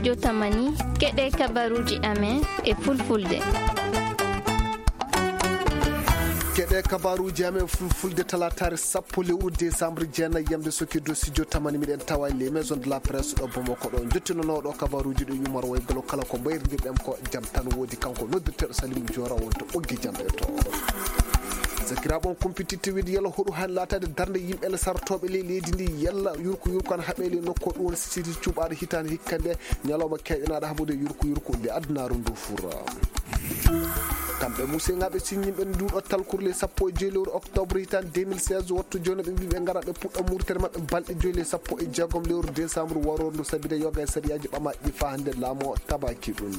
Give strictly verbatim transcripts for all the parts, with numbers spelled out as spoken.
Yo tamani, keɗe kabaruuji amen e fulfulde. Keɗe kabaruuji amen fulfulde talaataare sappo lewru décembre jeenayi yamde soki dow studio tamani, miɗen tawa e les maisons de la presse ɗo Bamako ɗo. Jottinonooɗo kabaruuji ɗo Yumar Waygolo, kala ko mbayrdirɗen ko jam tan woodi, kanko noddirteeɗo Salim Jora wonto ɓoggi jam e to. Sakiraaɓe, on kumpititte wiide yalla hoɗu han laataade darnde yimɓe le sartooɓe ley leydi ndi, yalla yurko yurko an haɓe ley nokku ɗum woni siti cuɓaaɗo hitaande hikka nde, ñalawma keeƴanaaɗo haɓude yurko yurko nde adunaaru ndu fura. Kamɓe museŋaaɓe siññinɓe nduɗo talkuru ley sappo e joyi lewru octobre hitaande deux mille seize, wattu jooni ɓe mbii ɓe ngara ɓe puɗɗa murtere maɓɓe balɗe joyi ley sappo e jeegom lewru décembre warooru ndu, sabide yoga e sariyaaji ɓamaaɗi ɗi faa hannde laamu o tabaaki ɗum.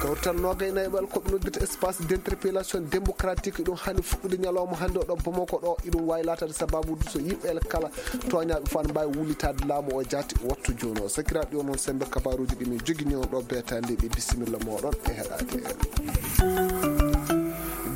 Kawrital noogay nayi ɓal ko ɓe noddirta espace d'interpellation démocratique, ɗum hani fuɗɗude ñalawma hannde o ɗo Bamako ɗo, iɗum waawi laataade sababu so yimɓe ele kala tooñaaɓe faa ne mbaawi wullitaade laamu o jaati wattu jooni o. Sakiraaɓe, ɗi on, on semmbe kabaruuji ɗi min jogini on ɗo beetaande ɗi, bisimilla mooɗon e heɗaade.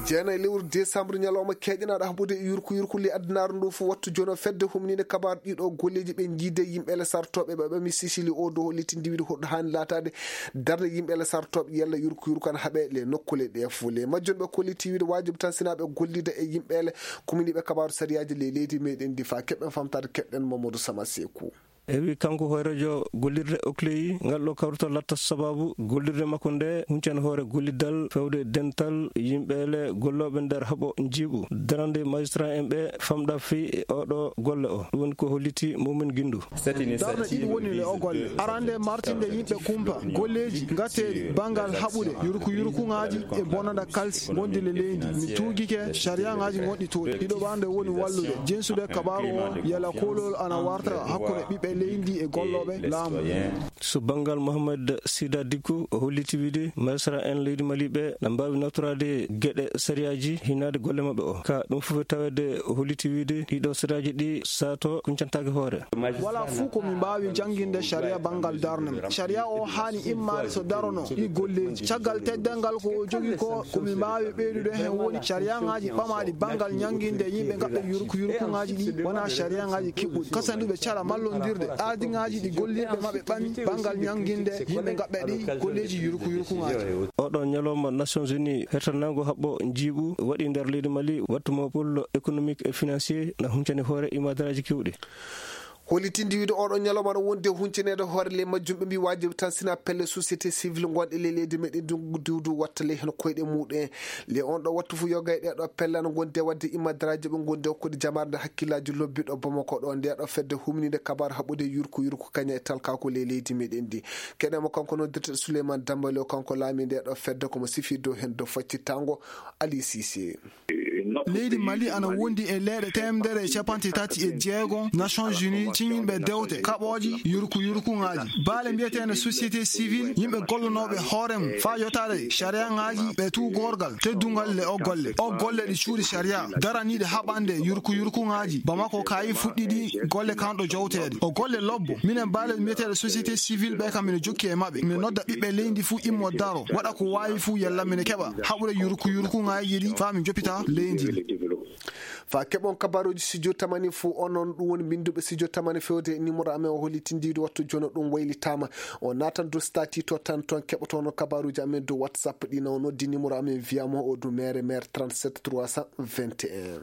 Jeenayi lewru décembre, ñalawma keeƴanaaɗo haɓude e yurko yurko ley adunaaru ndu fof, wattu jooni o fedde humniinde kabaaru ɗiɗo golleeji ɓe jiide yimɓe ele sartooɓe ɓe ɓami Sicili o dow holliti ndiwiide hoɗo haani laataade darnde yimɓe ele sartooɓe yalla yurko yurko an haɓe le nokkuule ɗe fof. Le majjum ɓe kolliti wiide waajibi tan sinaa ɓe gollida e yimɓe ele kuminiiɓe kabaaru sariyaaji ley leydi meɗen ndi faa keɓen famtaade keɗɗen Mamadou Sama Seku. Ewi kanko hooreejo gollirde Okley, ngal ɗo kawrital latta sababu gollirde makko nde huncani hoore gollidal fewde dental yimɓe ele gollooɓe nder haɓo njiiɓu darande magistrat en ɓe famɗa fii e oɗo golle o. Ɗum woni ko holliti Mumin Gindu. Darnde ɗiɗi woni le o golle. Arande martinde yimɓe kumpa golleeji ngateeɗi banngal haɓude yurku yurkuŋaaji e bonanda kalsi ngondi le leydi. Mi tuugike sariyaŋaaji ngoɗɗi toon. Ɗiɗo ɓaande woni wallude jensude kabaaru o yala koolol ana warta hakkunde ɓiɓɓe leydi e gollooɓe laamu. So banngal Mohamed Sida Dikku, o holliti wiide magistrat en leydi Mali ɓe na mbaawi nawtoraade geɗe sariyaaji hinaade golle maɓɓe o. Ka ɗum fof e taweede, o holliti wiide ɗiɗo sariyaaji ɗi saato kuncantaake hoore. Wala fuu ko mi mbaawi jannginde sariya banngal darnde. Sariya o haani immaade so darono ɗi golleeji. Caggal teddal ngal ko o jogi ko, ko mi mbaawi ɓeydude heen woni sariyaŋaaji ɓamaaɗi banngal ñannginde yimɓe ngaɓɓe yurku yurkuŋaaji ɗi wona sariyaŋaaji kiɓɓuɗi. Kasanduɓe cara mallondirde ardiŋaaji ɗi gollirɓe maɓɓe ɓami banngal ñannginde yimɓe ngaɓɓe ɗi golleeji yurku yurkuŋaaji. Oɗo ñalawma Nations Unies hertanaago haɓɓo njiiɓu waɗi nder leydi Mali, wattu mo pôle économique et financier na huncani hoore imadaraaji keewɗi. Hollitinde wiide oɗo ñalawma no wondi e huncineede hoore ley majjum, ɓe mbii waajibi tan sina pelle société civile ngonɗe ley leydi meɗen ndi duudu watta ley heen koyɗe muɗum. Ley on ɗo wattu fof yoga e ɗee ɗo pelle ana ngondi e waɗde imadaraaji ɓe ngondi e hokkude jamaare nde hakkillaaji lobbi ɗo Bamako ɗo. Nde ɗo fedde humniinde kabaaru haɓude yurku yurku kaña e talkaaku ley leydi meɗen ndi. Keɗen mo kanko noddirteeɗo Souleymane Dambale o, kanko laami nde ɗo fedde, ko mo sifi dow heen dow faccittango Ali Cissé. Leydi Mali ana wondi e leeɗe teemedere e capanɗe tati e jeego Nations Unies ciñinɓe dewte kaɓooji yurku yurkuŋaaji. Baale mbiyeteende société civile, yimɓe gollonooɓe hoore mum faa yotaade sariyaŋaaji ɓe tuugorgal teddungal le o golle. O golle ɗi cuuɗi sariya daraniiɗe haɓande yurku yurkuŋaaji. Bamako kayi fuɗɗiɗi golle kanɗo jowteede. O golle lobbo. Minen baale mbiyeteeɗe société civile ɓe kam mino jokki e maɓɓe. Mi nodda ɓiɓɓe leydi fuu immo daro. Waɗa ko waawi fuu yalla mino keɓa haɓude yurku yurkuŋaaji ɗi faa mi joppita leydi ndi. Faa keɓon kabaruuji studio tamani fuu onon, ɗum woni mbinnduɓe studio tamani fewde e numéro amen o hollitindiiɗo wattu jono ɗum waylitaama. O naatan dow statut to tan, toon keɓotono kabaruuji amen dow WhatsApp ɗi. Na o noddi numéro amen via mo o du mere mere trente-sept trois cent vingt et un.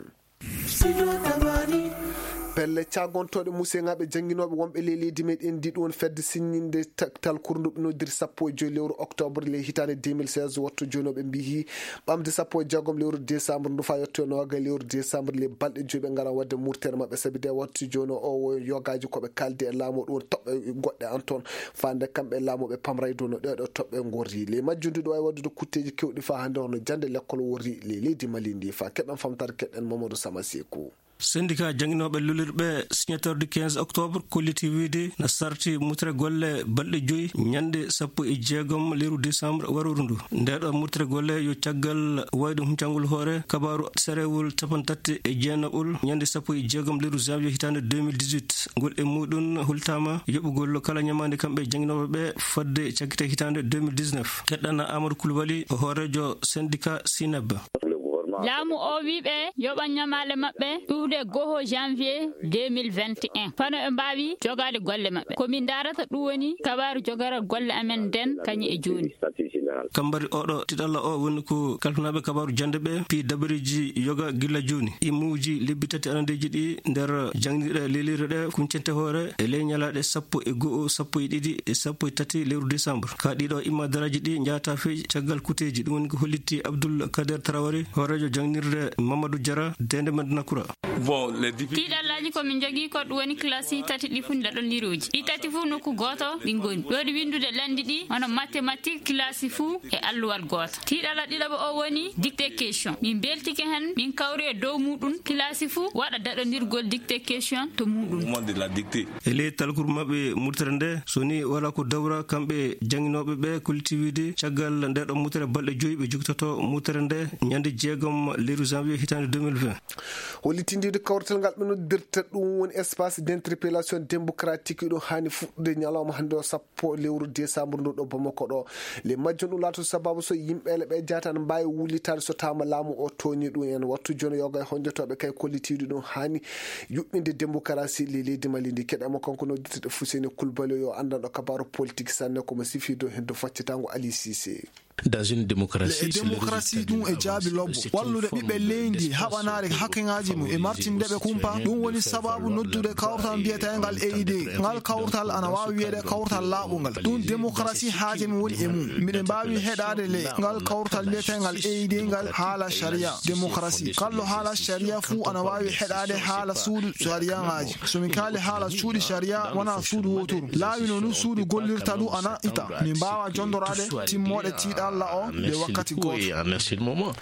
Pelle caagontooɗe museŋaaɓe jannginooɓe wonɓe ley leydi meɗen ndi ɗum woni fedde siññinde ta-, talkuru ndu ɓe noddiri sappo e joyi lewru octobre ley hitaande deux mille seize, wattu jooni o ɓe mbiyi ɓamde sappo e jeegom lewru décembre ndu faa yetto e nooga lewru décembre ley balɗe joyi ɓe ngara waɗde murtere maɓɓe. Sabi de wattu jooni o, o yogaaji ko ɓe kaaldi e laamu ɗum woni toɓɓe goɗɗe an toon. Faande kamɓe laamu ɓe pamray dow no ɗee ɗoo toɓɓe ngorri. Ley majjum ndu ɗo wawi waɗude kutteeji kewɗi faa hannde hono jannde lekkol worri ley leydi Mali ndi. Faa keɓen famtare keɗen Mamadou Sama Seku. Syndicat jannginooɓe lolirɓe signateur du quinze octobre kolliti wiide na sarti mutre golle balɗe joyi ñande sappo e jeegom lewru décembre warooru ndu. Ndeeɗo mutre golle yo caggal wayde huncangol hoore kabaaru sarewol capantati e jeenaɓol ñande sappo e jeegom lewru janvier hitaande deux mille dix-huit. Ngol e muɗum hultaama yoɓugol kala ñamaande kamɓe jannginooɓe ɓe fodde cakkite hitaande deux mille dix-neuf. Keɗɗana Amadou Koulibaly, hooreejo syndicat Sineb. Laamu o wiiɓe yoɓa ñamaale maɓɓe ɗuuɗe goho janvier deux mille vingt et un. Fano ɓe mbaawi jogaade golle maɓɓe. Ko min ndaarata ɗum woni kabaaru jogaral golle amen nden kañum e jooni. Kambari oɗo tiɗalla o woni ko kalfinaaɓe kabaaru jannde ɓe, fii dabareeji yoga gilla jooni. Imuuji lebbi tati arandeeji ɗi nder janngiɗe lelire ɗe kuncente hoore e ley ñalaaɗe sappo e go'o, sappo e ɗiɗi e sappo e tati lewru décembre. Ka ɗiɗo imma daraaji ɗi njaata fii caggal kuteeji. Ɗum woni ko hollitti Abdoul Kader Traoré, hooreejo jannginirde Mamadou Diarra, deende Madina Kura. Bon, les députés. Tiiɗallaaji ko min njogii ko ɗum woni classe tati ɗi fof daɗondirooji. Ɗi tati fof nokku gooto ɗi ngoni. Ɗo ɗi winndude lanndi ɗi, hono mathématique, classe fof e alluwal gooto. Tiiɗalla ɗiɗaɓo o woni dictée question. Min mbeltike heen, min kawri e dow muɗum, classe fof waɗa daɗondirgol dictée question to muɗum. Au moment de la dictée. E ley talkuru maɓɓe murtere nde, so ni wala ko dawra kamɓe jannginooɓe ɓe, kolliti wiide caggal nde ɗo murtere balɗe joyi ɓe jogitoto murtere nde ñande jeegom lewru janvier hitaande deux mille vingt. Hollitindiiɗo kawrital ngal ɓe noddirta ɗum woni espace d'interpellation démocratique, ɗo haani fuɗɗude ñalawma hannde o sappo lewru décembre ndu ɗo Bamako ɗo. Le majjum ɗum laato sababu so yimɓe ele ɓe jaata ne mbaawi wullitaade so taama laamu o tooñi ɗum en. Wattu jono yoga e honjotooɓe kay kollitiiɗo ɗum haani yuɓɓinde démocratie le leydi Mali ndi. Keɗamo kanko noddirteɗo Fuseni Kulbali yo anndanɗo kabaaru politique sanne ko mo sifiido hendo faccitango Ali Cissé. Dans une démocratie, le démocratie ɗum e jaabi lobbo wallude ɓiɓɓe leydi haɓanaade hakkeŋaaji mum e martinde ɓe kumpa. Ɗum woni sababu noddude kawtal mbiyeteegal E I D. Ngal kawtal ana waawi wiyeede kawtal laaɓungal. Ɗum démocratie haaje mum woni e mum. Miɗen mbaawi heɗaade le ngal kawtal mbiyeteegal E I D ngal haala sharia, démocratie. Kalɗo haala sharia fuu ana waawi heɗaade haala suudu shariaŋaaji. So min kaali haala suudu sharia, wonaa suudu wooturu. Laawi no nun suudu gollirta ɗum ana ita. Min mbaawa jondoraade timmooɗe tiiɗalla o nde wakkati gooto.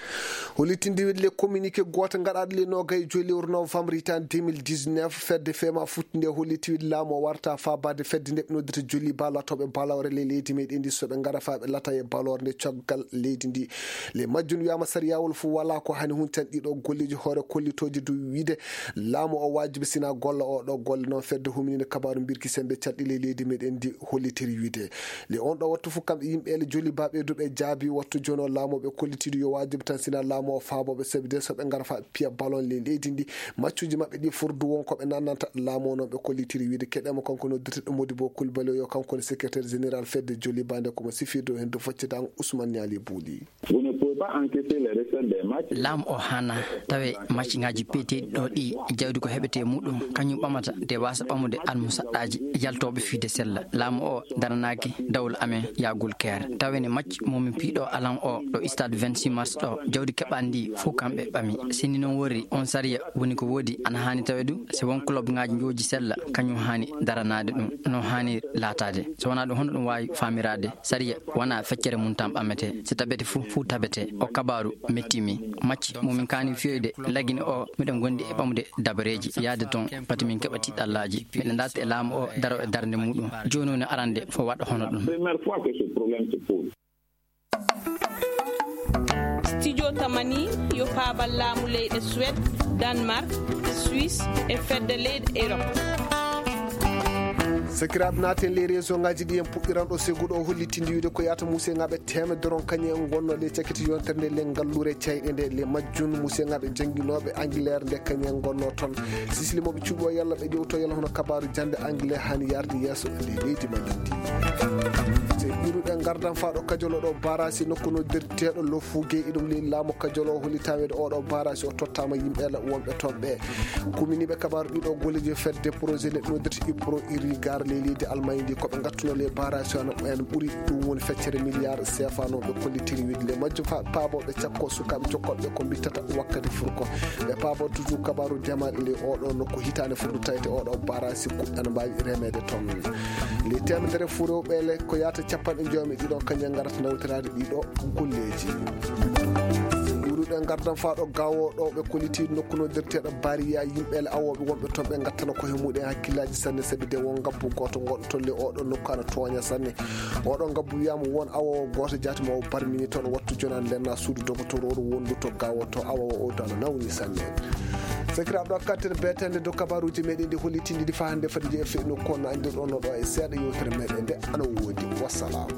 Hollitinde wiide le communiqué gooto gaɗaaɗo le noogay e joyi lewru novembre hitaande deux mille dix-neuf, fedde fema futti nde holliti wiide laamu o warta faabaade fedde nde ɓe noddita joli baalatooɓe baalawre le leydi meɗen ndi so ɓe ngara faa ɓe lata e baaloore nde coggal leydi ndi. Le majjum wiyaama sariyawol fof wala ko hani huntan ɗiɗo golleeji hoore kollitooji dow wiide laamu o waajibi sina golla o ɗo golle noon fedde humininde kabaaru mbirki sembe calɗi le leydi meɗen ndi hollitiri wiide. Le on ɗo wattu fof kamɓe yimɓe ele joli baɓe duɓe jaabi wattu jono laamu ɓe kollitiiɗo yo waajibi tan sina laamu o faabooɓe sabi de so ɓe ngara fa piya ballon le leydi ndi maccuji maɓɓe ɗi furdu won ko ɓe nannanta laamu o noon ɓe kollitiri wiide keɗemo kanko noddirteɗo Modibo Kulbali o yo kanko woni secrétaire général fedde joli bande ko mo sifirde o hendo foccidaango Ousmane Niali Bouli. Vous ne pouvez pas encaisser les recettes des matchs. Laamu o hana tawe match ngaji peeteeɗi ɗo ɗi jawdi ko heɓete muɗum kañum ɓamata de wasa ɓamude almusaɗɗaaji yaltooɓe fiide sella. Laamu o daranaaki dawla amen yagul keere. Tawe ne match momin piiɗo alan o ɗo stade vingt-six mars ɗo jawdi keɓaandi ndi fof kamɓe ɓami. Sinni noon worri on sariya woni ko woodi ana haani tawe ɗum si won club ngaji jooji sella kañum haani daranaade ɗum no haani laataade. So wonaa ɗum hono ɗum waawi faamiraade sariya wonaa feccere mum tan ɓamete. Si tabete fof fof tabete. O kabaaru metti mi. Macci mo min kaani fiyoyde lagine o miɗen gondi e ɓamude dabareeji yaade toon pati min keɓa tiɗɗallaaji. Miɗen darta e laamu o daro e darnde muɗum. Jooni woni arande fof waɗa hono ɗum. Première fois que ce problème se pose. Studio Tamani yo paabal laamu leyɗe Suède, Danemark, Suisse e fedde leyɗe Europe. Sakiraaɓe naaten ley réseau ngaji ɗi en puɗɗiran ɗo seguɗo o hollitindi wiide ko yata museŋaaɓe teemedere on kañum en gonno ley cakiti yontere nde le ngallure cayɗe nde le majjum museŋaaɓe jannginooɓe Angleterre nde kañum en gonno toon. Sisili moɓe cuuɓi o yalla ɓe ƴewto yalla hono kabaaru jannde anglais hani yarde yeeso e ley leydi ma lindi. Se ɓiruɗe ngardan faa ɗo kajolo ɗo barasi nokku no derteeɗo lofuge iɗum ley laamu kajolo o hollitaweede oɗo barasi o tottaama yimɓe la wonɓe toon ɓe. Kuminiiɓe kabaaru ɗiɗo golleeji fedde projet neɗɗo dirti ipro irigar ley leydi Almaañ ndi ko ɓe ngattuno ley barasi o en ɓuri ɗum woni feccere milliard sefa no ɓe kollitiri wiide ley majjum fa paabo ɓe cakko sukaaɓe jokkooɓe ko mbittata wakkati furko. Ɓe paabo toujours kabaaru jamaɗe ley oɗo nokku hitaande furdu tawete oɗo barasi kuɗɗan mbaawi remeede toon. Ley teemedere fuu rewɓe le ko yaata capanɗe jomi ɗiɗo kañum ngarata nawtiraade ɗiɗo golleeji. Ɓuruɗe ngardan faa ɗo gawo ɗo ɓe kolliti nokku no derteeɗo bariya yimɓe le awooɓe wonɓe toon ɓe ngattana ko he muɗen hakkillaaji sanne sabi de won ngabbu gooto ngonɗo toon le oɗo nokku ana tooña sanne. Oɗo ngabbu wiyaama won awowo gooto jaati mo o barmini toon wattu jonan lenna suudu dogotorooru wondu to gawo to awowo o dano nawni sanne. Sakiraaɓe ɗo kattere beetende dow kabaruuji meɗen ɗi hollitindi ɗi faa hannde fadi je feɗno kono andirɗon no ɗo e seeɗa yewtere meɗen nde ana woodi. Wassalam.